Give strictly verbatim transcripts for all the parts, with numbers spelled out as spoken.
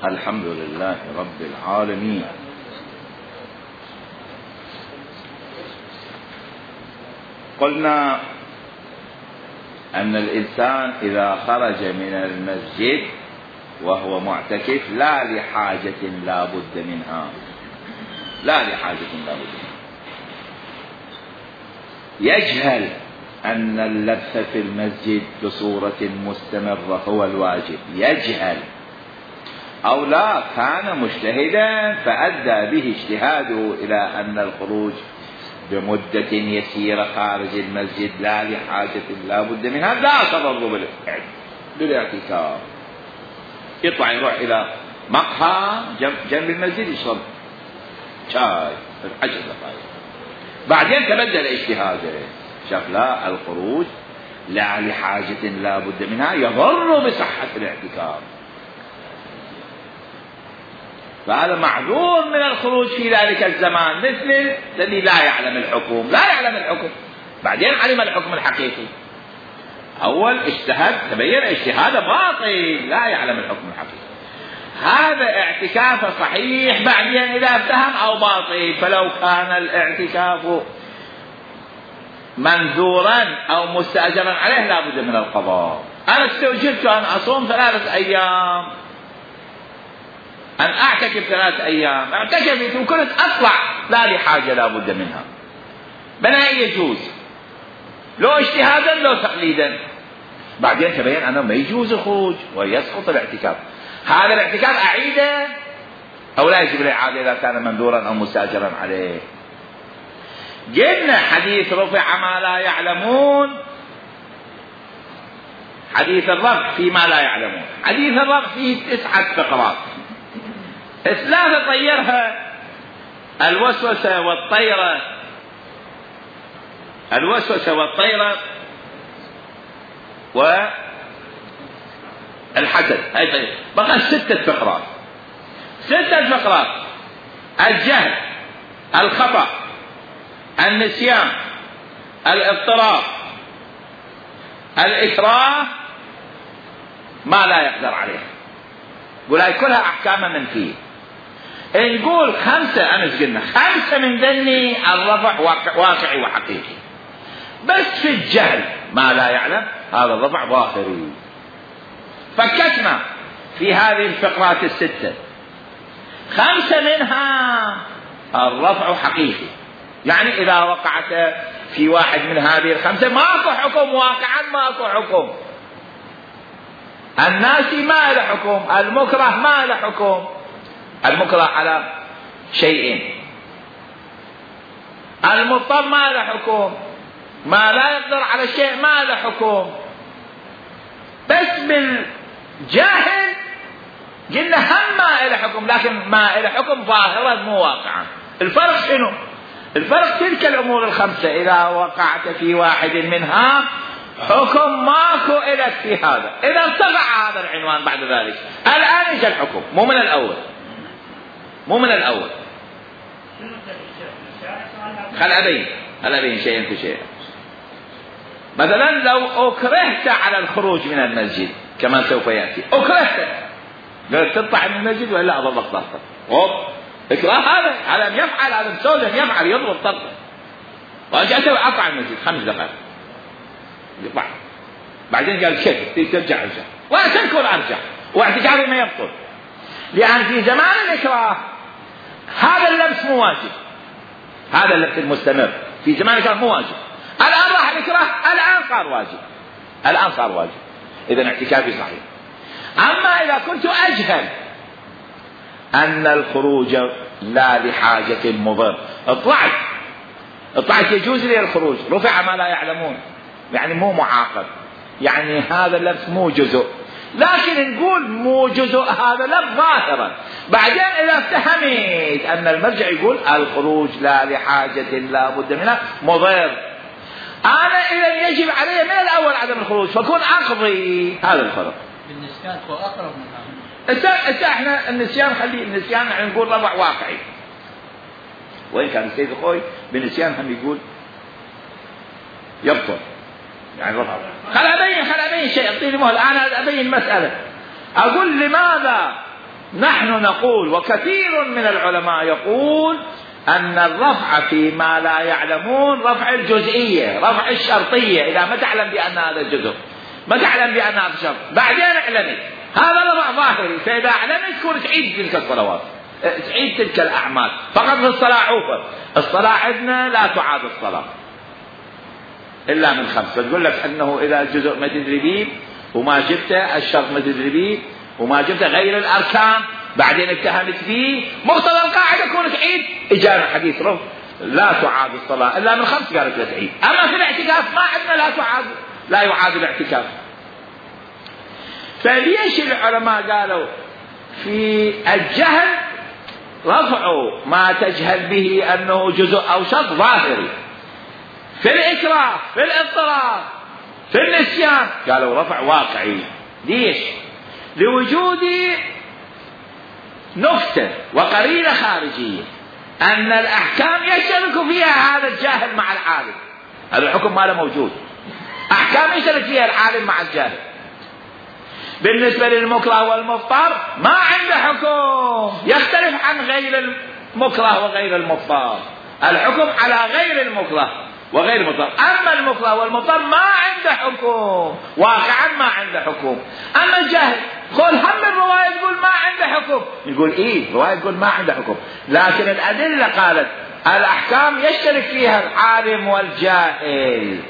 الحمد لله رب العالمين. قلنا أن الإنسان إذا خرج من المسجد وهو معتكف لا لحاجة لا بد منها، لا لحاجة لا بد منها، يجهل أن اللبث في المسجد بصورة مستمرة هو الواجب، يجهل، أو لا كان مجتهدا فأدى به اجتهاده إلى أن الخروج بمدة يسيرة خارج المسجد لا لحاجة لا بد منها لا تضر بالاعتكاف. يطلع يروح إلى مقهى جنب المسجد يشرب شاي عشر دقائق، بعدين تبدل اجتهاده، شاف لا الخروج لا لحاجة لا بد منها يضر بصحة الاعتكاف، فهذا معذور من الخروج في ذلك الزمان، مثل الذي لا يعلم الحكم، لا يعلم الحكم بعدين علم الحكم الحقيقي، أول اجتهد تبين اجتهاده باطل لا يعلم الحكم الحقيقي، هذا اعتكافه صحيح بعدين إذا افتهم أو باطل. فلو كان الاعتكاف منذورا أو مستأجرا عليه لا بد من القضاء. أنا استوجبت أن أصوم ثلاثة أيام، أن أعتكف ثلاثة أيام، اعتكفت وكنت أطلع لا لحاجة لا بد منها، بناء يجوز لو اجتهادا لو تقليدا، بعدين تبين أنه ما يجوز الخروج ويسقط الاعتكاف، هذا الاعتكاف أعيده أو لا يجب الإعادة إذا كان منذورا أو مستأجرا عليه. جبنا حديث رفع ما لا يعلمون، حديث الرفع فيما لا يعلمون، حديث الرفع فيه تسعة فقرات، ثلاثة طيرها الوسوسة والطيرة، الوسوسة والطيرة والحسد، هاي طيب بقى ستة فقرات، ستة فقرات: الجهل، الخطأ، النسيان، الاضطراب، الإكراه، ما لا يقدر عليه. قول هاي كلها أحكام منفية. نقول خمسة، أمس قلنا خمسة من ذني الرفع واقعي وحقيقي، بس في الجهل ما لا يعلم هذا الرفع ظاهري. فكتنا في هذه الفقرات الستة خمسة منها الرفع حقيقي، يعني إذا وقعت في واحد من هذه الخمسة ماكو حكم، واقعا ماكو حكم. الناس ما له حكم، المكره ما له حكم، المكره على شيئين، المضطر ما له حكم، ما لا يقدر على شيء ما له حكم. بس بالجاهل قلنا هم ما له حكم، لكن ما له حكم ظاهرا مو واقعا. الفرق شنو؟ الفرق تلك الأمور الخمسة إذا وقعت في واحد منها حكم ماكو إلك في هذا، إذا ارتفع هذا العنوان بعد ذلك الآن يجي الحكم، مو من الأول، مو من الأول. خل أبين خل أبين شيئا في شيء. مثلا لو أكرهت على الخروج من المسجد كما سوف يأتي، أكرهت قلت تطلع من المسجد ولا أضربك ضغطك، أوب إكراه هذا على أن يفعل، هذا مسؤول أن يفعل، يضرب ضغطك، وأجأت أطلع من المسجد خمس دقائق يطلع، بعدين قال كيف ترجع ارجع، وأنا تنكر أرجع، واعتكافي ما يبطل، لأن في زمان الإكراه هذا اللبس مو واجب، هذا اللبس المستمر في زمان الإكراه مو واجب، الآن راح الإكراه الآن صار واجب، الآن صار واجب، إذن اعتكافي صحيح. أما إذا كنت أجهل أن الخروج لا لحاجة مضر، اطلعت اطلعت يجوز لي الخروج، رفع ما لا يعلمون، يعني مو معاقب، يعني هذا اللبس مو جزء، لكن نقول مو جزء هذا لبس ظاهرا. بعدين إذا افتهمت أن المرجع يقول الخروج لا لحاجة لا بد منها مضر، أنا إذا يجب علي من الأول عدم الخروج، فكون أقضي. هذا الفرق. بالنسيان هو أقرب من هذا. إذا إحنا النسيان خلي النسيان يعني نقول ربع واقعي، وإن كان السيد الخوي بالنسيان هم يقول يبطل، يعني رفع. خل أبين خل أبين شيء، أعطيني مهل، أنا أبين مسألة، أقول لماذا نحن نقول وكثير من العلماء يقول أن الرفع فيما لا يعلمون رفع الجزئية، رفع الشرطية. إذا ما تعلم بأن هذا الجزء، ما تعلم بأن هذا الشرط، بعدين اعلمت، هذا رفع ظاهري. فإذا اعلمت تكون تعيد تلك الصلوات، تعيد تلك الأعمال. فقط في الصلاة عوفة، الصلاة عندنا لا تعاد الصلاة إلا من خمسة. تقول لك أنه إذا الجزء ما تدري به وما جبته، الشرط ما تدري به وما جبته، غير الأركان بعدين اتهمت فيه، مقتضى القاعدة يكون تعيد. إجابة حديث رفع لا تعاد الصلاة إلا من خمس، قالت لا تعيد. أما في الاعتكاف ما عندنا لا تعاد، لا يعاد الاعتكاف. فليش العلماء قالوا في الجهل رفعوا ما تجهل به أنه جزء أو شرط ظاهري، في الإكراه، في الاضطرار، في النسيان قالوا رفع واقعي. ليش؟ لوجود نكتة وقرينة خارجية أن الأحكام يشترك فيها هذا الجاهل مع العالم. هذا الحكم ما له موجود، أحكام يشترك فيها العالم مع الجاهل. بالنسبة للمكره والمضطر ما عنده حكم، يختلف عن غير المكره وغير المضطر. الحكم على غير المكره وغير المضطر. أما المكره والمضطر ما عنده حكم، واقعا ما عنده حكم. أما الجاهل قول هم الرواية تقول ما عنده حكم، نقول إيه الرواية تقول ما عنده حكم، لكن الأدلة قالت الأحكام يشترك فيها العالم والجاهل.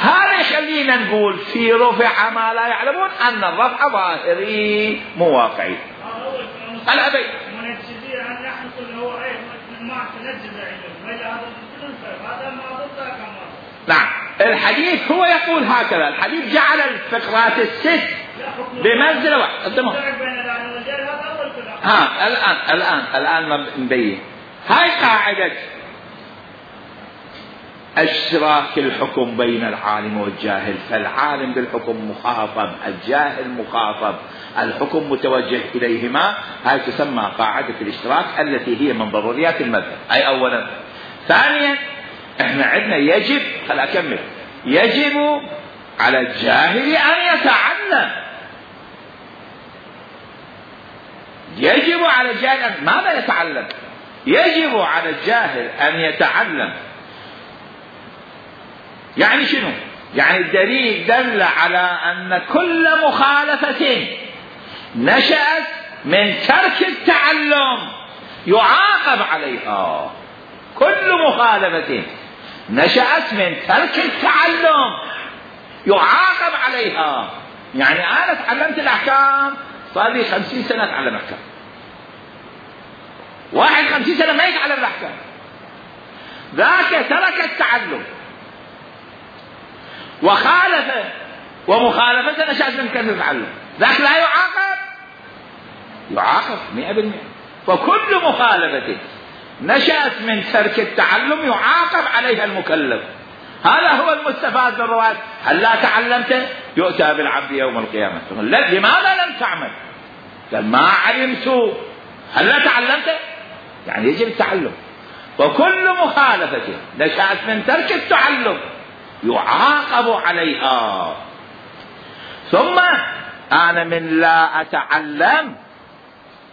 هذا يخلينا نقول في رفع ما لا يعلمون أن الرفع ظاهري مو واقعي. الأبي نعم، الحديث هو يقول هكذا. الحديث جعل الفقرات الست بمنزلة واحدة. ها الآن الآن الآن نبين هاي قاعدة اشتراك الحكم بين العالم والجاهل. فالعالم بالحكم مخاطب، الجاهل مخاطب، الحكم متوجه إليهما. هاي تسمى قاعدة الاشتراك التي هي من ضروريات المذهب. أي أولا. ثانيا احنا عندنا يجب، خل أكمل، يجب على الجاهل أن يتعلم. يجب على الجاهل أن ماذا يتعلم؟ يجب على الجاهل أن يتعلم. يعني شنو؟ يعني الدليل دل على أن كل مخالفة نشأت من ترك التعلم يعاقب عليها. كل مخالفة نشأت من ترك التعلم يعاقب عليها. يعني أنا تعلمت الأحكام، صار لي خمسين سنة أتعلم أحكام. واحد خمسين سنة ما يتعلم الأحكام، ذاك ترك التعلم وخالف، ومخالفة نشأت من ترك التعلم، ذاك لا يعاقب؟ يعاقب مئة بالمئة. فكل مخالفة نشأت من ترك التعلم يعاقب عليها المكلف. هذا هو المستفاد من الروايات. هل لا تعلمت؟ يؤتى بالعبد يوم القيامة. لماذا لم تعمل؟ قال ما علمت. هل لا تعلمت؟ يعني يجب التعلم. وكل مخالفة نشأت من ترك التعلم يعاقب عليها. ثم أنا من لا أتعلم،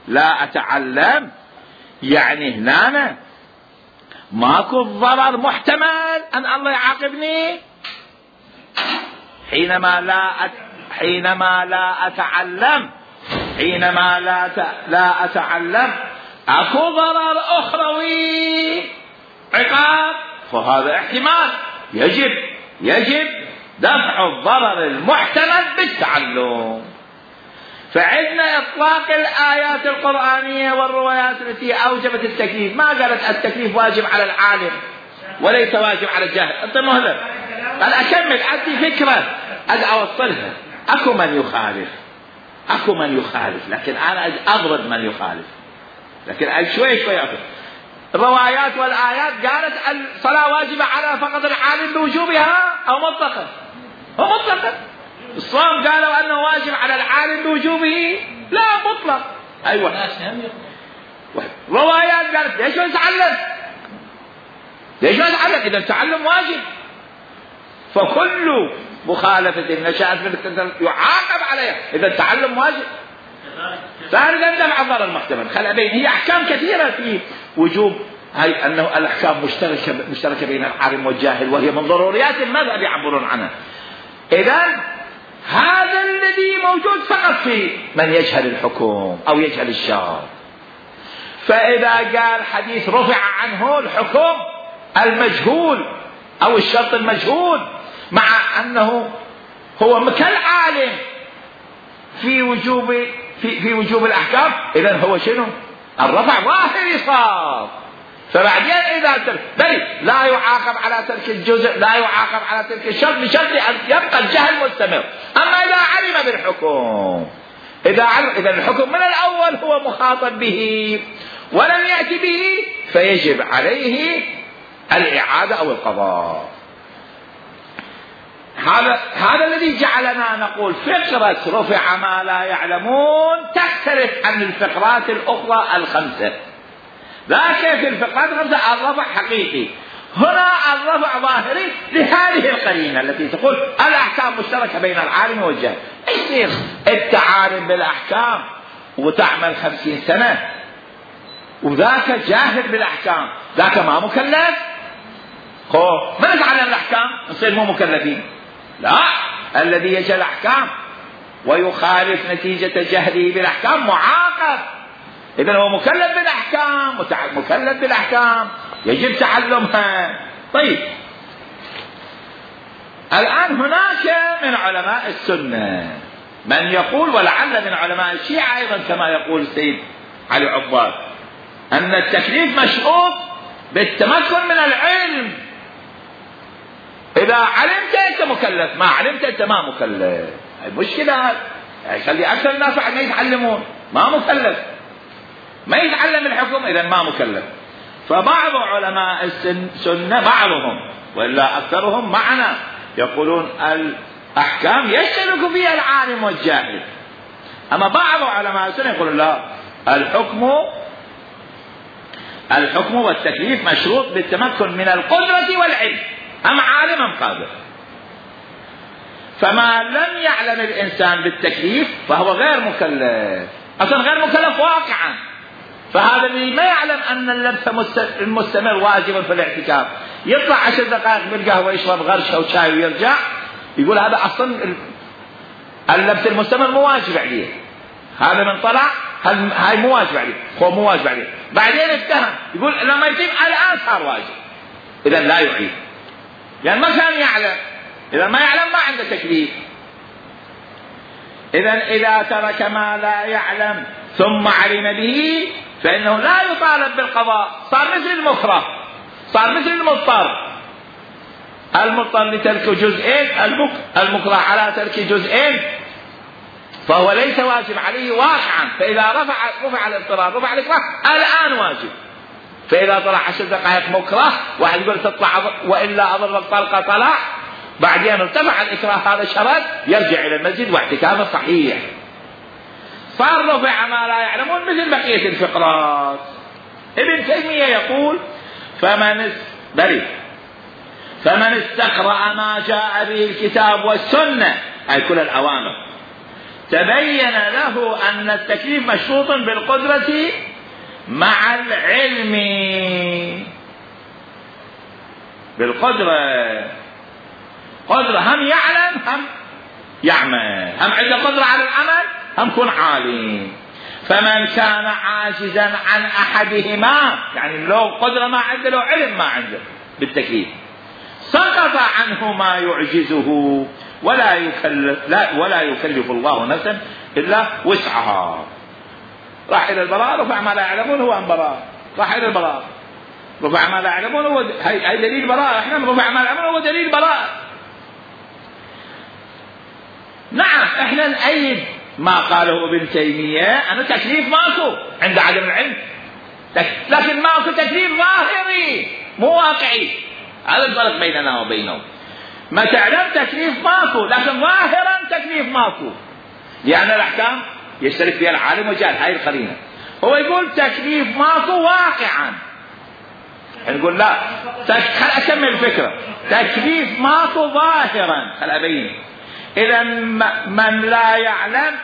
لا أتعلم يعني هنا ماكو ضرر محتمل أن الله يعاقبني حينما لا أت... حينما لا أتعلم، حينما لا ت... لا أتعلم أكو ضرر أخروي عقاب، فهذا احتمال. يجب يجب دفع الضرر المحتمل بالتعلم. فعندنا إطلاق الآيات القرآنية والروايات التي أوجبت التكليف. ما قالت التكليف واجب على العالم وليس واجب على الجاهل. أنت مهلب. قال أكمل، عندي فكرة أوصلها. أكو من يخالف، أكو من يخالف، لكن أنا أضرب من يخالف، لكن شوي شوي أفهم. الروايات والآيات قالت الصلاة واجبة على فقط العالم بوجوبها أو مطلقا؟ هو مطلقا. الصوم قالوا أنه واجب على العالم بوجوبه؟ لا، مطلق. أيوة. روايات قالت ليش ما نتعلم؟ ليش ما نتعلم إذا التعلم واجب؟ فكل مخالفة نشأت من يعاقب عليها إذا التعلم واجب. ذلك أن مع الضرر المحتمل. خل أبين هي أحكام كثيرة في وجوب هاي أنه الأحكام مشتركة مشتركة بين العالم والجاهل، وهي من ضروريات المذهب يعبرون عنها. إذن هذا الذي موجود فقط في من يجهل الحكم أو يجهل الشرع. فإذا قال حديث رفع عنه الحكم المجهول أو الشرط المجهول مع أنه هو كالعالم في وجوب في, في وجوب الأحكام، إذن هو شنو؟ الرفع ظاهري صار. فبعدين إذا ترك بل لا يعاقب على ترك الجزء، لا يعاقب على ترك الشرط بشرط أن يبقى الجهل مستمر. أما إذا علم بالحكم، إذا علم إذا الحكم من الأول هو مخاطب به ولم يأتي به، فيجب عليه الإعادة أو القضاء. هذا هذا الذي جعلنا نقول فقرة رفع ما لا يعلمون تختلف عن الفقرات الأخرى الخمسة. ذاك في الفقرات الخمسة الرفع حقيقي، هنا الرفع ظاهري لهذه القرينة التي تقول الأحكام مشتركة بين العالم والجاهل. يصير أنت عالم بالأحكام وتعمل خمسين سنة وذاك جاهل بالأحكام، ذاك ما مكلف؟ خو من يتعلم الأحكام نصير مو مكلفين؟ لا، الذي يجهل الأحكام ويخالف نتيجة جهله بالأحكام معاقب. إذن هو مكلف بالأحكام، مكلف بالأحكام يجب تعلمها. طيب الآن هناك من علماء السنة من يقول، ولعل من علماء الشيعة أيضا كما يقول السيد علي عباد، أن التكليف مشروط بالتمكن من العلم. إذا علمت أنت مكلف، ما علمت أنت ما مكلف. المشكلة يخلي أكثر الناس ما يتعلمون، ما مكلف، ما يتعلم الحكم، إذا ما مكلف. فبعض علماء السنة بعضهم وإلا أكثرهم معنا يقولون الأحكام يشترك فيها العالم والجاهل. أما بعض علماء السنة يقولون لا، الحكم الحكم والتكليف مشروط بالتمكن من القدرة والعلم، أم عالم أم قادر. فما لم يعلم الإنسان بالتكليف فهو غير مكلف، أصلا غير مكلف واقعا. فهذا اللي ما يعلم أن اللبس المستمر واجب في الاعتكاف، يطلع عشر دقائق بالقهوة يشرب غرشة وشاي ويرجع، يقول هذا أصلا اللبس المستمر مو واجب عليه. هذا من طلع هاي مو واجب عليه، هو مو واجب عليه. بعدين اتهم يقول لما يتم الآن صار واجب، إذا لا يعيد، يعني ما كان يعلم. إذا ما يعلم ما عنده تكليف. إذا إذا ترك ما لا يعلم ثم علم به فإنه لا يطالب بالقضاء، صار مثل المكره، صار مثل المضطر. المضطر لترك جزئين، المكره على ترك جزئين، فهو ليس واجب عليه واقعا. فإذا رفع رفع الاضطرار رفع الإكراه الآن واجب. فإذا طلع عشر دقائق مكره، واحد يقول تطلع وإلا أضرب الطلقة طلع، بعدين ارتفع الإكراه هذا شرط، يرجع إلى المسجد واعتكافه صحيح. صار رفع ما لا يعلمون مثل بقية الفقرات. ابن تيمية يقول فمن بري فمن استقرأ ما جاء به الكتاب والسنة، أي كل الأوامر، تبين له أن التكليف مشروط بالقدرة مع العلم. بالقدرة، قدرة هم يعلم هم يعمل، هم عنده قدرة على العمل هم يكون عالم. فمن كان عاجزا عن أحدهما، يعني لو قدرة ما عنده لو علم ما عنده بالتكليف، سقط عنه ما يعجزه ولا يكلف لا ولا يكلف الله نفسا إلا وسعها. راح إلى البراء، رفع ما لا يعلمون هو عن براء، راح إلى البراء رفع ما لا يعلمون هو هي دليل براء. احنا رفع ما لا يعلمون هو دليل براء. نعم احنا نأيد ما قاله ابن تيمية أن تكليف ماكو عند عدم العلم، لكن ماكو تكليف ظاهري مو واقعي. هذا الفرق بيننا وبينهم. ما تعلم تكليف ماكو، لكن ظاهرا تكليف ماكو، لأن الأحكام يشترك فيها العالم والجاهل. هاي القرينة. هو يقول تكليف ماكو واقعا، نقول لا، خل أكمل الفكرة. تكليف ماكو ظاهرا، خل أبين. إذا من لا يعلم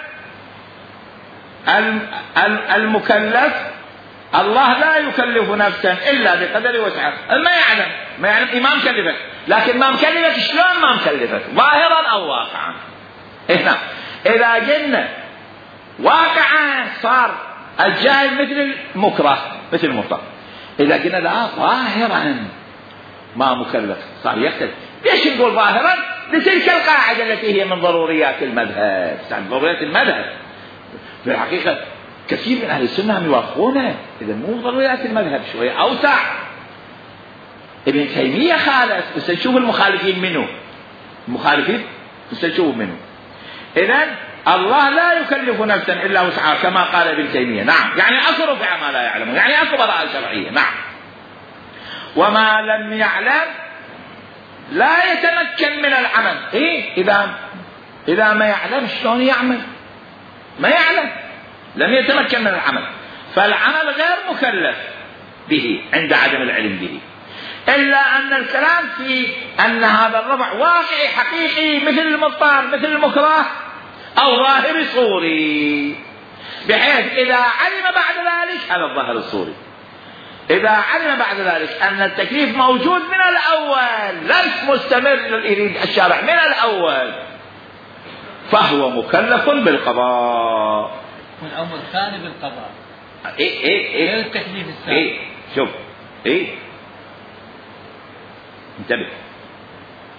المكلف الله لا يكلف نفسا إلا بقدر وسعها. ما يعلم ما يعلم ما مكلفك، لكن ما مكلفك شلون ما مكلفك؟ ظاهرا أو واقعا. هنا إذا قلنا واقعا صار الجاهل مثل المكره مثل المضطر، إذا قلنا لا ظاهرا ما مكلف صار يختلف. ليش نقول ظاهرا؟ لتلك القاعدة التي هي من ضروريات المذهب. من ضروريات المذهب في الحقيقة كثير من أهل السنة هم يوافقونه، إذا مو ضروريات المذهب شوية أوسع. ابن تيمية خالف، بس نشوف المخالفين منه، المخالفين بس نشوف منه. إذن الله لا يكلف نفسا إلا وسعها كما قال ابن تيمية. نعم، يعني أكو رفع ما لا يعلمون، يعني أكو براءة شرعية. نعم، وما لم يعلم لا يتمكن من العمل. إيه؟ إذا إذا ما يعلم شلون يعمل؟ ما يعلم، لم يتمكن من العمل، فالعمل غير مكلف به عند عدم العلم به. إلا أن الكلام في أن هذا الرفع واقعي حقيقي مثل المضطر مثل المكره أو ظاهر صوري، بحيث إذا علم بعد ذلك هذا الظاهر الصوري، إذا علم بعد ذلك أن التكليف موجود من الأول ليس مستمر يريد الشارع من الأول، فهو مكلف بالقضاء. والأمر الثاني بالقضاء. إيه إيه إيه التكليف الثاني. إيه شوف إيه انتبه،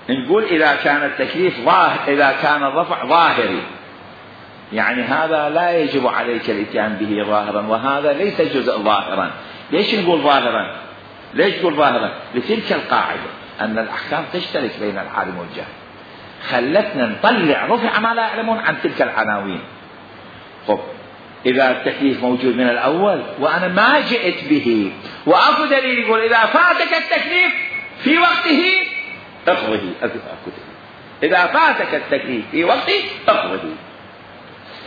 نقول إذا كان التكليف ظاهر، إذا كان الرفع ظاهري، يعني هذا لا يجب عليك الاتيان به ظاهرا، وهذا ليس جزء ظاهرا. ليش نقول ظاهرا؟ ليش نقول ظاهرا؟ لتلك القاعدة أن الأحكام تشترك بين العالم والجاهل، خلتنا نطلع رفع ما لا يعلمون عن تلك العناوين. خب إذا التكليف موجود من الأول وأنا ما جئت به، وأكو دليل يقول إذا فاتك التكليف في وقته اقضه، إذا فاتك التكليف في وقته اقضه،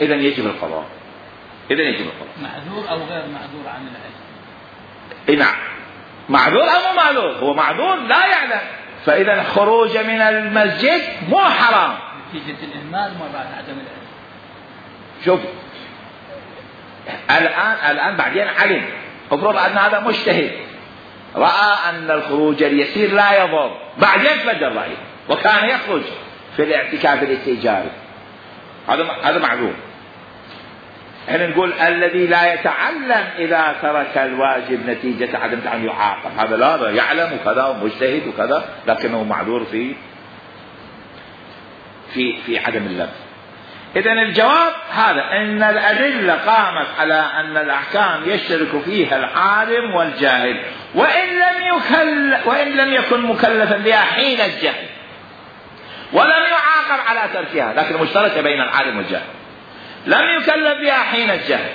إذن يجب القضاء. إذن يجب القضاء. معذور أو غير معذور عن العلم. إيه نعم، معذور أو مو معذور، هو معذور لا يعلم، فإذا خروج من المسجد مو حرام نتيجة الإهمال ما بعد عدم العلم. شوف الآن الآن بعدين علم، افرض أن هذا مجتهد رأى أن الخروج اليسير لا يضر، بعدين بدل رأيه وكان يخرج في الاعتكاف الاستئجاري، هذا هذا معذور. احنا نقول الذي لا يتعلم إذا ترك الواجب نتيجة عدم تعلم يعاقب، هذا لا يعلم وكذا ومجتهد وكذا لكنه معذور في في في عدم اللبس. إذن الجواب هذا، أن الأدلة قامت على أن الأحكام يشترك فيها العالم والجاهل، وإن لم يكل وإن لم يكن مكلفا بها حين الجهل، ولم يعاقب على تركها، لكن مشتركة بين العالم والجاهل. لم يكلف بها حين الجهل،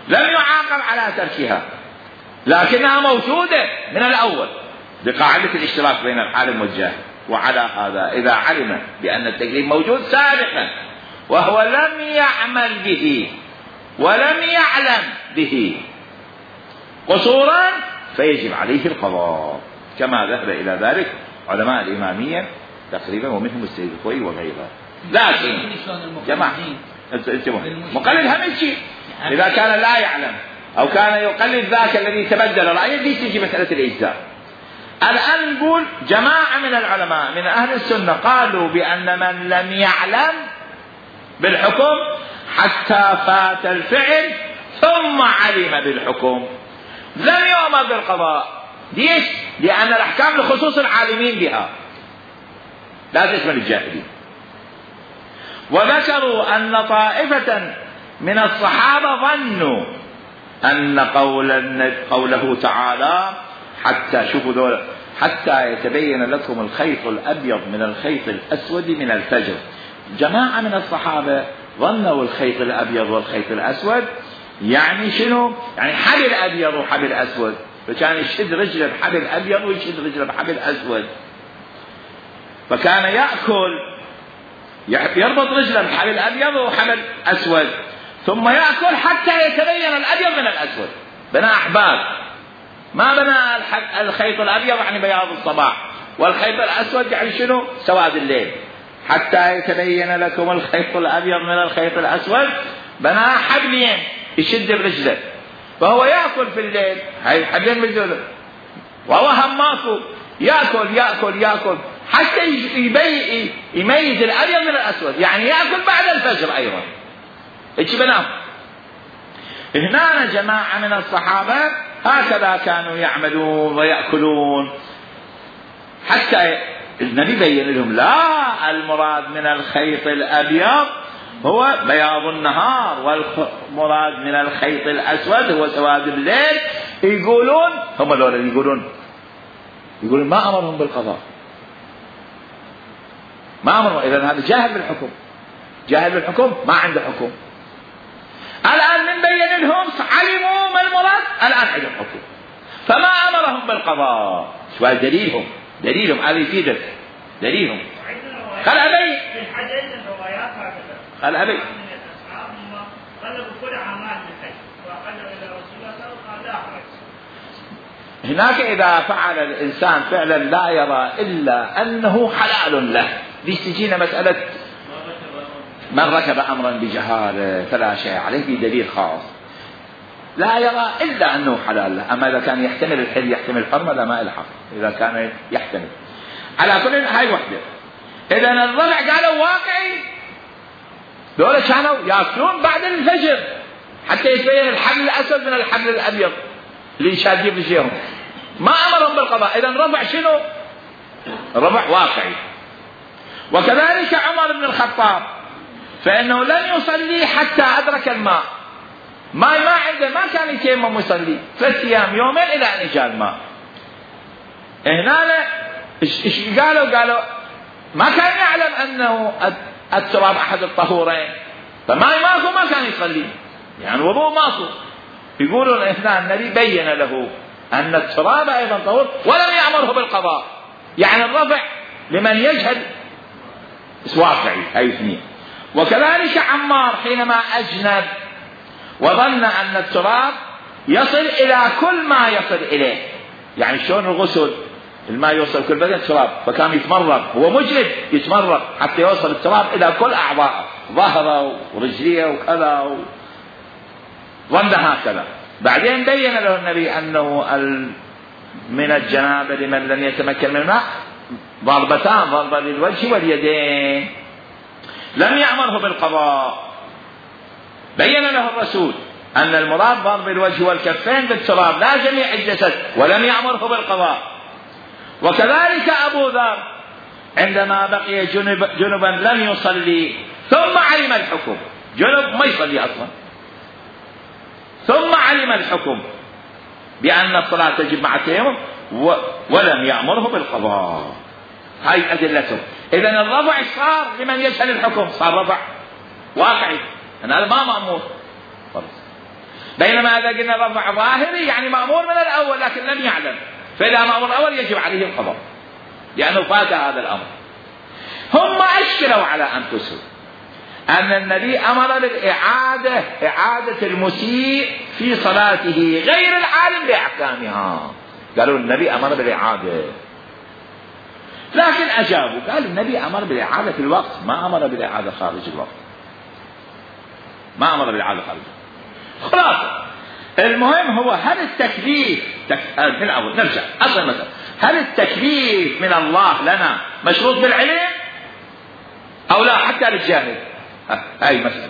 لم يعاقب على تركها، لكنها موجودة من الأول بقاعدة الاشتراك بين العالم والجاهل. وعلى هذا إذا علم بأن التكليف موجود سابقا وهو لم يعمل به ولم يعلم به قصورا فيجب عليه القضاء، كما ذهب إلى ذلك علماء الإمامية تقريبا ومنهم السيد الخوئي وغيره. لكن جماعة مقلد هم شيء إذا كان لا يعلم أو كان يقلد ذاك الذي تبدل رأيه، دي تجي مسألة الإجزاء. الآن نقول جماعة من العلماء من أهل السنة قالوا بأن من لم يعلم بالحكم حتى فات الفعل ثم علم بالحكم لم يؤمر بالقضاء. ليش؟ لأن الأحكام لخصوص العالمين بها لا تشمل الجاهلين. وذكروا أن طائفة من الصحابة ظنوا أن قول قوله تعالى حتى شوفوا دول حتى يتبين لكم الخيط الأبيض من الخيط الأسود من الفجر. جماعة من الصحابة ظنوا الخيط الأبيض والخيط الأسود يعني شنو؟ يعني حبل أبيض وحبل أسود، فكان يشد رجله بحبل أبيض ويشد رجله بحبل أسود، فكان يأكل يربط رجله بحبل أبيض وحبل أسود ثم يأكل حتى يتبين الأبيض من الأسود. بنى أحباب، ما بنى الخيط الأبيض يعني بياض الصباح، والخيط الأسود يعني شنو؟ سواد الليل. حتى يتبين لكم الخيط الأبيض من الخيط الأسود بناه حبلين يشد برجله، فهو يأكل في الليل هاي حبلين برجله، وهو هم ماكو يأكل يأكل يأكل حتى يبي يميز الأبيض من الأسود، يعني يأكل بعد الفجر أيضا. إيش بنام. هنا جماعة من الصحابة هكذا كانوا يعملون ويأكلون، حتى النبي بين لهم لا، المراد من الخيط الأبيض هو بياض النهار، والمراد من الخيط الأسود هو سواد الليل. يقولون هم الأولى يقولون يقولون ما أمرهم بالقضاء، ما أمرهم، إذن هذا جاهل بالحكم، جاهل بالحكم ما عنده حكم. الآن من بين لهم علموا ما المراد، الآن عندهم حكم، فما أمرهم بالقضاء. شو دليلهم؟ دليلهم هذا يفيدك، دليلهم قال أبي في الحديث الروايات هكذا قال أبي قالوا كل عمال بخير وقالوا إلى رسول الله صلى الله عليه وسلم. هناك إذا فعل الإنسان فعلا لا يرى إلا أنه حلال له، بيستجينا مسألة من ركب أمرا بجهالة فلا شيء عليه بدليل خاص، لا يرى إلا أنه حلال له. أما إذا كان يحتمل الحل يحتمل الحرمة لا ما الحق، إذا كان يحتمل على كل هاي وحدة. إذا الضلع قالوا واقعي، دولة كانوا يأكلون بعد الفجر حتى يتبين الحبل الأسود من الحبل الأبيض اللي شادين بشيهم، ما أمرهم بالقضاء. إذا رفع شنو؟ رفع واقعي. وكذلك عمر بن الخطاب فإنه لن يصلي حتى أدرك الماء، ما ما عنده، ما كان يتيمم يصلي ثلاث أيام يومين إلى أن جاء الماء. هنا إيش قالوا؟ قالوا ما كان يعلم أنه التراب أحد الطهورين، فما ماكو ما كان يصلي، يعني وضوء ماكو. يقولون هنا النبي بين له أن التراب أيضا طهور ولم يأمره بالقضاء، يعني الرفع لمن يجهل واقعي هاي اثنين. وكذلك عمار حينما أجنب وظن أن التراب يصل إلى كل ما يصل إليه، يعني شلون الغسل الماء يوصل كل بدن تراب، فكان يتمرغ، هو مجرد يتمرغ حتى يوصل التراب إلى كل أعضاء ظهره ورجليه وكذا و... ظن هكذا. بعدين بين له النبي أنه من الجنابة لمن لم يتمكن من الماء ضربتان، ضربة للوجه واليدين، لم يأمره بالقضاء. بين له الرسول أن المراد ضرب الوجه والكفين بالتراب لا جميع الجسد، ولم يأمره بالقضاء. وكذلك أبو ذر عندما بقي جنب جنبا لم يصلي ثم علم الحكم، جنب ما يصلي أصلا، ثم علم الحكم بأن الصلاة تجب مع التيمم ولم يأمره بالقضاء. هاي أدلته. إذن الرفع صار لمن يجهل الحكم، صار رفع واقعي، هذا ما مأمور. بينما إذا قلنا رفع ظاهري يعني مأمور من الأول لكن لم يعلم، فإذا مأمور الأول يجب عليه القضاء لأنه فات هذا الأمر. هم أشكلوا على أنفسهم أن النبي أمر بالإعادة، إعادة المسيء في صلاته غير العالم بأحكامها، قالوا النبي أمر بالإعادة، لكن أجابوا قالوا النبي أمر بالإعادة في الوقت، ما أمر بالإعادة خارج الوقت، ما أمر بالإعادة خارج الوقت. خلاص المهم هو هل التكليف تك... من أول نرجع أصل مثلا، هل التكليف من الله لنا مشروط بالعلم أو لا حتى للجاهل؟ هاي مسألة،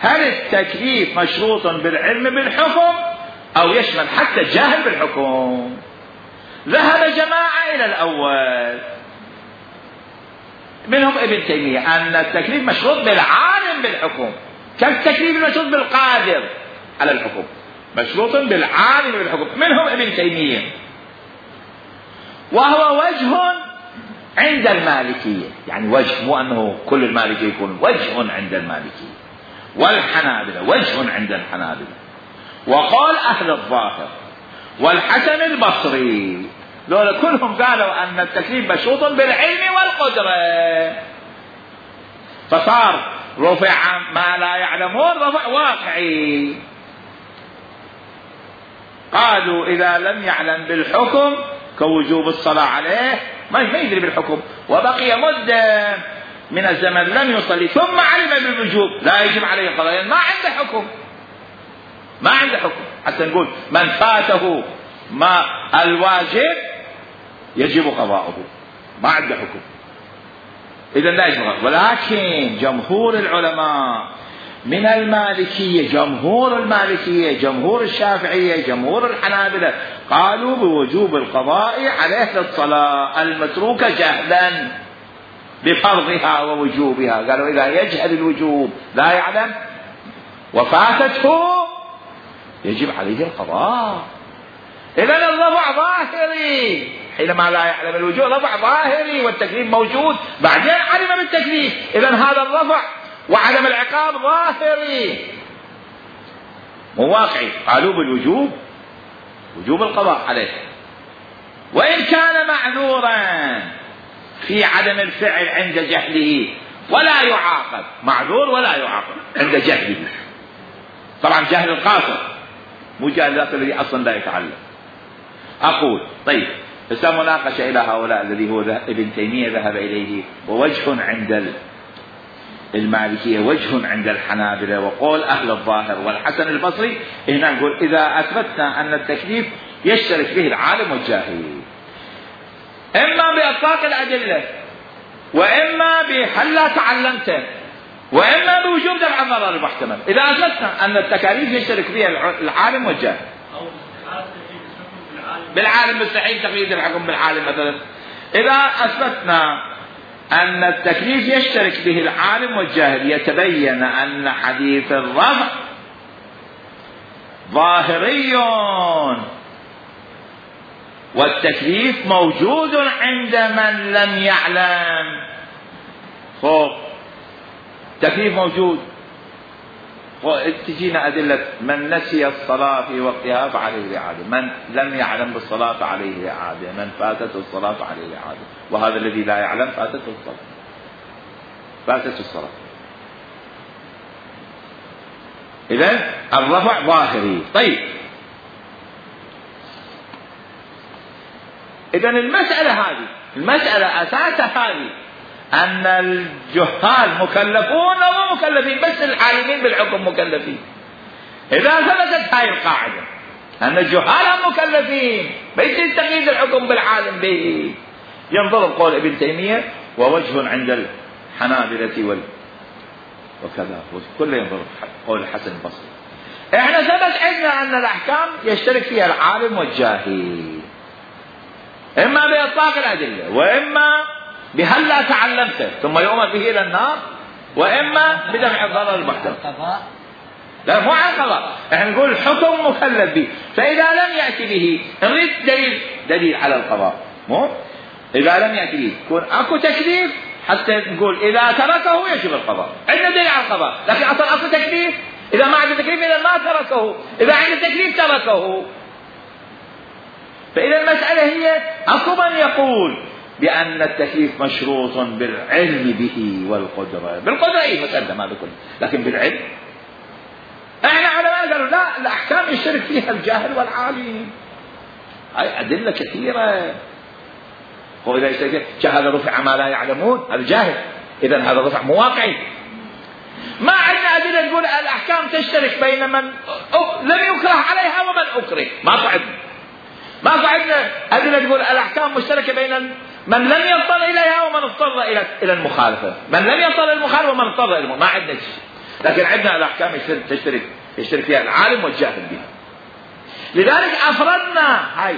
هل التكليف مشروط بالعلم بالحكم أو يشمل حتى الجاهل بالحكم؟ ذهب جماعة إلى الأول منهم ابن تيمية أن التكليف مشروط بالعالم بالحكم، كالتكليف المشروط بالقادر على الحكم، مشروط بالعالم بالحكم، منهم ابن تيمية. وهو وجه عند المالكية، يعني وجه، مو أنه كل المالكية يكون وجه عند المالكية والحنابلة، وجه عند الحنابلة. وقال أهل الظاهر والحسن البصري لولا كلهم قالوا أن التكليف مشروط بالعلم والقدرة، فصار رفع ما لا يعلمون رفع واقعي. قالوا إذا لم يعلم بالحكم كوجوب الصلاة عليه ما يدري بالحكم وبقي مدة من الزمن لم يصلي ثم علم بالوجوب لا يجب عليه القضاء، ما عنده حكم، ما عنده حكم حتى نقول من فاته ما الواجب يجب قضاؤه، ما عنده حكم، إذا لا يجب قضاؤه. ولكن جمهور العلماء من المالكية، جمهور المالكية، جمهور الشافعية، جمهور الحنابلة قالوا بوجوب القضاء عليه للصلاة المتروكة جهلا بفرضها ووجوبها. قالوا إذا يجهل الوجوب لا يعلم وفاتته يجب عليه القضاء. إذن الرفع ظاهري حينما لا يعلم الوجوب، رفع ظاهري والتكليف موجود، بعدين علم بالتكليف، إذن هذا الرفع وعدم العقاب ظاهري مو واقعي. قالوا بالوجوب، وجوب القضاء عليه، وإن كان معذورا في عدم الفعل عند جهله ولا يعاقب، معذور ولا يعاقب عند جهله، طبعا جهل القاصر مو جهل ذاك الذي أصلا لا يتعلم. أقول طيب فسا مناقشة إلى هؤلاء الذي هو ابن تيمية ذهب إليه، ووجه عند المالكية، وجه عند الحنابلة، وقول أهل الظاهر والحسن البصري. هنا نقول إذا أثبتنا أن التكليف يشترك به العالم والجاهل، إما بإطلاق الأدلة، وإما بهل لا تعلمت، وإما بوجوب دفع الضرر المحتمل. إذا أثبتنا أن التكاليف يشترك بها العالم والجاهل، بالعالم مستحيل تقييد الحكم بالعالم مثلا. إذا أثبتنا أن التكليف يشترك به العالم والجاهل، يتبين أن حديث الرفع ظاهري والتكليف موجود عند من لم يعلم. فوق التكليف موجود، تجينا أدلة من نسي الصلاة في وقتها فعليه الإعادة، من لم يعلم بالصلاة فعليه الإعادة، من فاتته الصلاة فعليه الإعادة، وهذا الذي لا يعلم فاتته الصلاة، فاتته الصلاة. إذن الرفع ظاهري. طيب إذن المسألة هذه، المسألة أساسها هذه أن الجهال مكلفون ومو مكلفين، بس العالمين بالحكم مكلفين. إذا ثبتت هاي القاعدة أن الجهال مكلفين، بيصير تقييد الحكم بالعالم به. ينظر قول ابن تيمية ووجه عند الحنابلة وال وكذا، كله ينظر قول الحسن البصري. احنا ثبت عندنا أن الأحكام يشترك فيها العالم والجاهل، إما بإطلاق الأدلة، وإما بهل لا تعلمت ثم يؤمر به إلى النار، وإما بدفع الضرر المحتمل. لا مو عن قضاء، احنا نقول الحكم مكلف به، فإذا لم يأتي به نريد دليل دليل على القضاء. مو إذا لم يأتي به يكون أكو تكليف حتى نقول إذا تركه يجب القضاء، عندنا دليل على القضاء، لكن أصلا أكو تكليف، إذا ما عنده تكليف إذا ما تركه، إذا عنده تكليف تركه. فإذا المسألة هي أكو من يقول بأن التكليف مشروط بالعلم به والقدرة، بالقدرة أي مسألة ما بكل، لكن بالعلم احنا علماء قالوا لا، الأحكام يشترك فيها الجاهل والعالم. هاي أدلة كثيرة. وإذا يشترك جهل رفع ما لا يعلمون، هذا جاهل، إذن هذا رفع مو واقعي. ما عندنا أدلة تقول الأحكام تشترك بين من لم يكره عليها ومن أكره، ما صعدنا ما صعدنا أدلة تقول الأحكام مشتركة بين من لم يضطر إليها ومن اضطر إلى إلى المخالفة، من لم يضطر إلى المخالفة ومن اضطر إلى، ما عندنا شيء. لكن عندنا الأحكام تشترك يشترك فيها العالم والجاهل بها. لذلك أفردنا هاي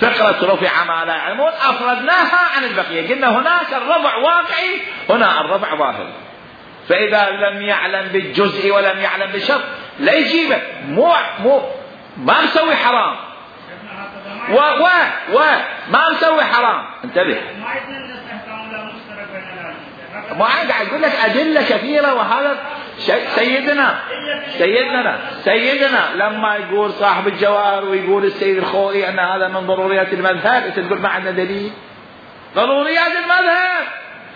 فقرة رفع ما لا يعلمون، أفردناها عن البقية، قلنا هناك الرفع واقعي، هنا الرفع ظاهر. فإذا لم يعلم بالجزء ولم يعلم بالشرط لا يجيبه، مو مو ما مسوي حرام، و و و ما مسوي حرام. انتبه، ما قاعد يقول لك أدلة كثيرة. وهذا سيدنا سيدنا سيدنا لما يقول صاحب الجواهر ويقول السيد الخوئي أن هذا من ضروريات المذهب، أنت تقول ما عندنا دليل. ضروريات المذهب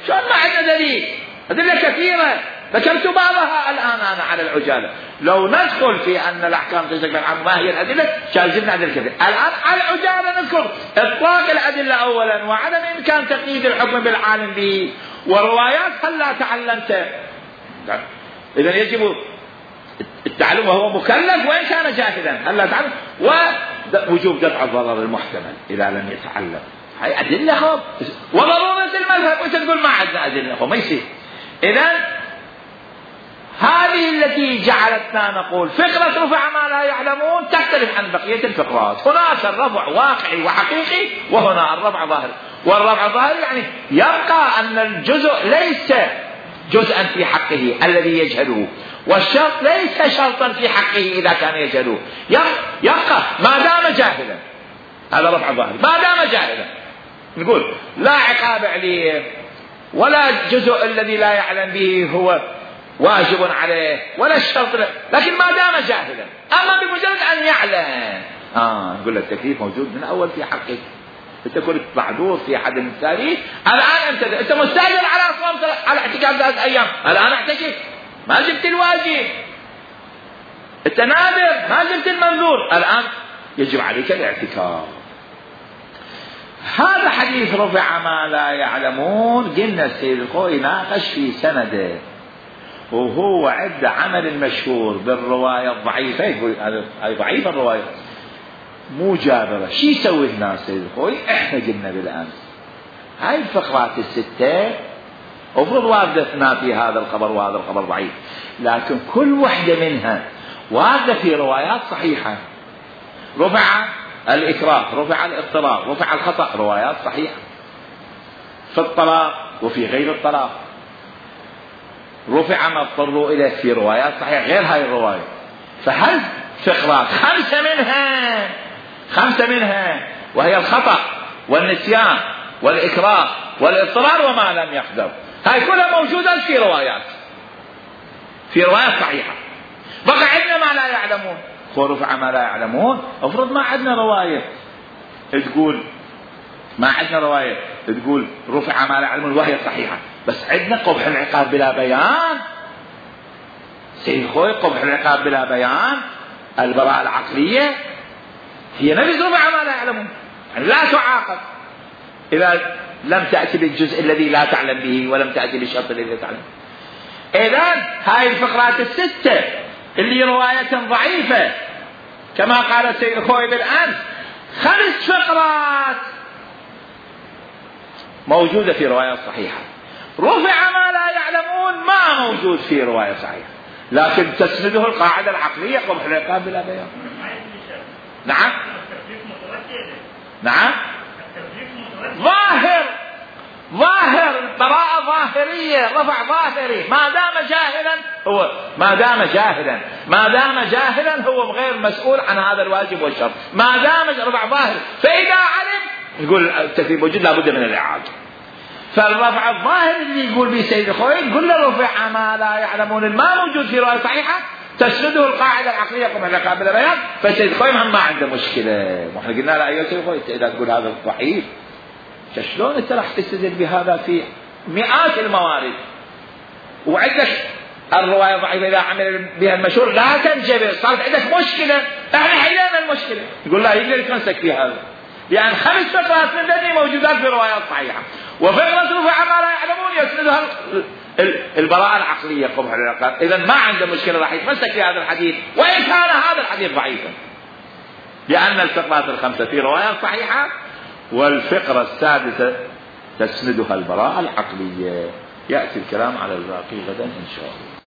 شلون ما عندنا دليل؟ أدلة كثيرة ذكرت بعضها الآن أنا على العجالة. لو ندخل في أن الأحكام تشترك بالعالم ما هي الأدلة شاذبنا أدلة كثيرة. الآن على العجالة نذكر إطلاق الأدلة أولا، وعدم إمكان تقييد الحكم بالعالم به، وروايات هلا تعلمت. إذا يجب التعلم وهو مكلف وإن كان جاهلا، هلا تعلم، ووجوب دفع الضرر المحتمل إذا لم يتعلم. هاي أدلة خب وضرورة المذهب، وأنت تقول ما عندنا أدلة خب، ما يصير. إذا هذه التي جعلتنا نقول فقرة رفع ما لا يعلمون تختلف عن بقية الفقرات. هناك الرفع واقعي وحقيقي، وهنا الرفع ظاهري. والرفع ظاهري يعني يبقى أن الجزء ليس جزءا في حقه الذي يجهله، والشرط ليس شرطا في حقه إذا كان يجهله، يبقى ما دام جاهلا. هذا رفع ظاهري، ما دام جاهلا نقول لا عقاب عليه، ولا الجزء الذي لا يعلم به هو واجب عليه، ولا الشرط له، لكن ما دام جاهلا. أما بمجرد أن يعلم آه نقول له التكليف موجود من أول في حقك. أنت كنت معذور في أحد المثالين، الآن أنت أنت مستأجر على صوم على اعتكاف ثلاث أيام، الآن اعتكف، ما جبت الواجب، أنت نادر ما جبت المنذور، الآن يجب عليك الاعتكاف. هذا حديث رفع ما لا يعلمون. قلنا السيد الخوئي ناقش في سنده، وهو عد عمل المشهور بالرواية الضعيفة، يقول هذه ضعيفة الرواية مو جابرة. شي يسوي هنا السيد الخوئي؟ احنا قلنا بالأمس هاي الفقرات الستة أفرض واردة في هذا الخبر وهذا الخبر ضعيف، لكن كل وحدة منها واردة في روايات صحيحة. رفع الإكراه، رفع الاضطرار، رفع الخطأ، روايات صحيحة في الطلاق وفي غير الطلاق. رفع ما اضطروا إليه في روايات صحيحة غير هاي الرواية. فهل فقرات خمسة منها خمسة منها وهي الخطأ والنسيان والإكراه والاضطرار وما لم يقدر، هاي كلها موجودة في روايات في روايات صحيحة. بقى عندنا ما لا يعلمون، رفع ما لا يعلمون. افرض ما عندنا رواية تقول ما عندنا رواية تقول رفع ما لا يعلمون وهي صحيحة، بس عندنا قبح العقاب بلا بيان. سيد خوي قبح العقاب بلا بيان، البراءة العقلية هي نفس رفع ما لا يعلمون، يعني لا تعاقب إذا لم تأتي بالجزء الذي لا تعلم به ولم تأتي بالشرط الذي لا تعلم. إذن هاي الفقرات الستة اللي رواية ضعيفة كما قال السيد الخوئي بالأمس، خمس فقرات موجودة في رواية صحيحة. رفع ما لا يعلمون ما موجود في رواية صحيحة، لكن تسنده القاعدة العقلية قبح العقاب بلا بيان. نعم نعم ظاهر ظاهر براءة ظاهرية، رفع ظاهري. ما دام جاهلا هو ما دام جاهلا ما دام جاهلا هو غير مسؤول عن هذا الواجب والشرط، ما دام رفع ظاهري. فإذا علم يقول التكليف موجود لابد من الإعادة. فالرفع الظاهر اللي يقول به سيد الخوئي يقول له رفع ما لا يعلمون ما موجود في رواية صحيحة تسنده القاعدة العقلية قبل العقاب بلا بيان. فسيد الخوئي ما عنده مشكلة. واحنا قلنا له أيها سيد الخوئي إذا تقول هذا ضعيف شلون انت راح تستدل بهذا في مئات الموارد، وعندك الرواية ضعيفة إذا عمل بها المشهور لا تنجبر، صارت عندك مشكلة، احنا حلينا المشكلة. يقول لا يقدر يتمسك في هذا، لأن خمس فقرات من ذني موجودات في روايات صحيحة، وفقرة رفع ما لا يعلمون يسندها البراءة العقلية قبح العقاب. إذا ما عنده مشكلة راح يتمسك في هذا الحديث وإن كان هذا الحديث ضعيفا، لأن الفقرات الخمسة في روايات صحيحة، والفقرة السادسة تسندها البراءة العقلية. يأتي الكلام على الباقي غدا إن شاء الله.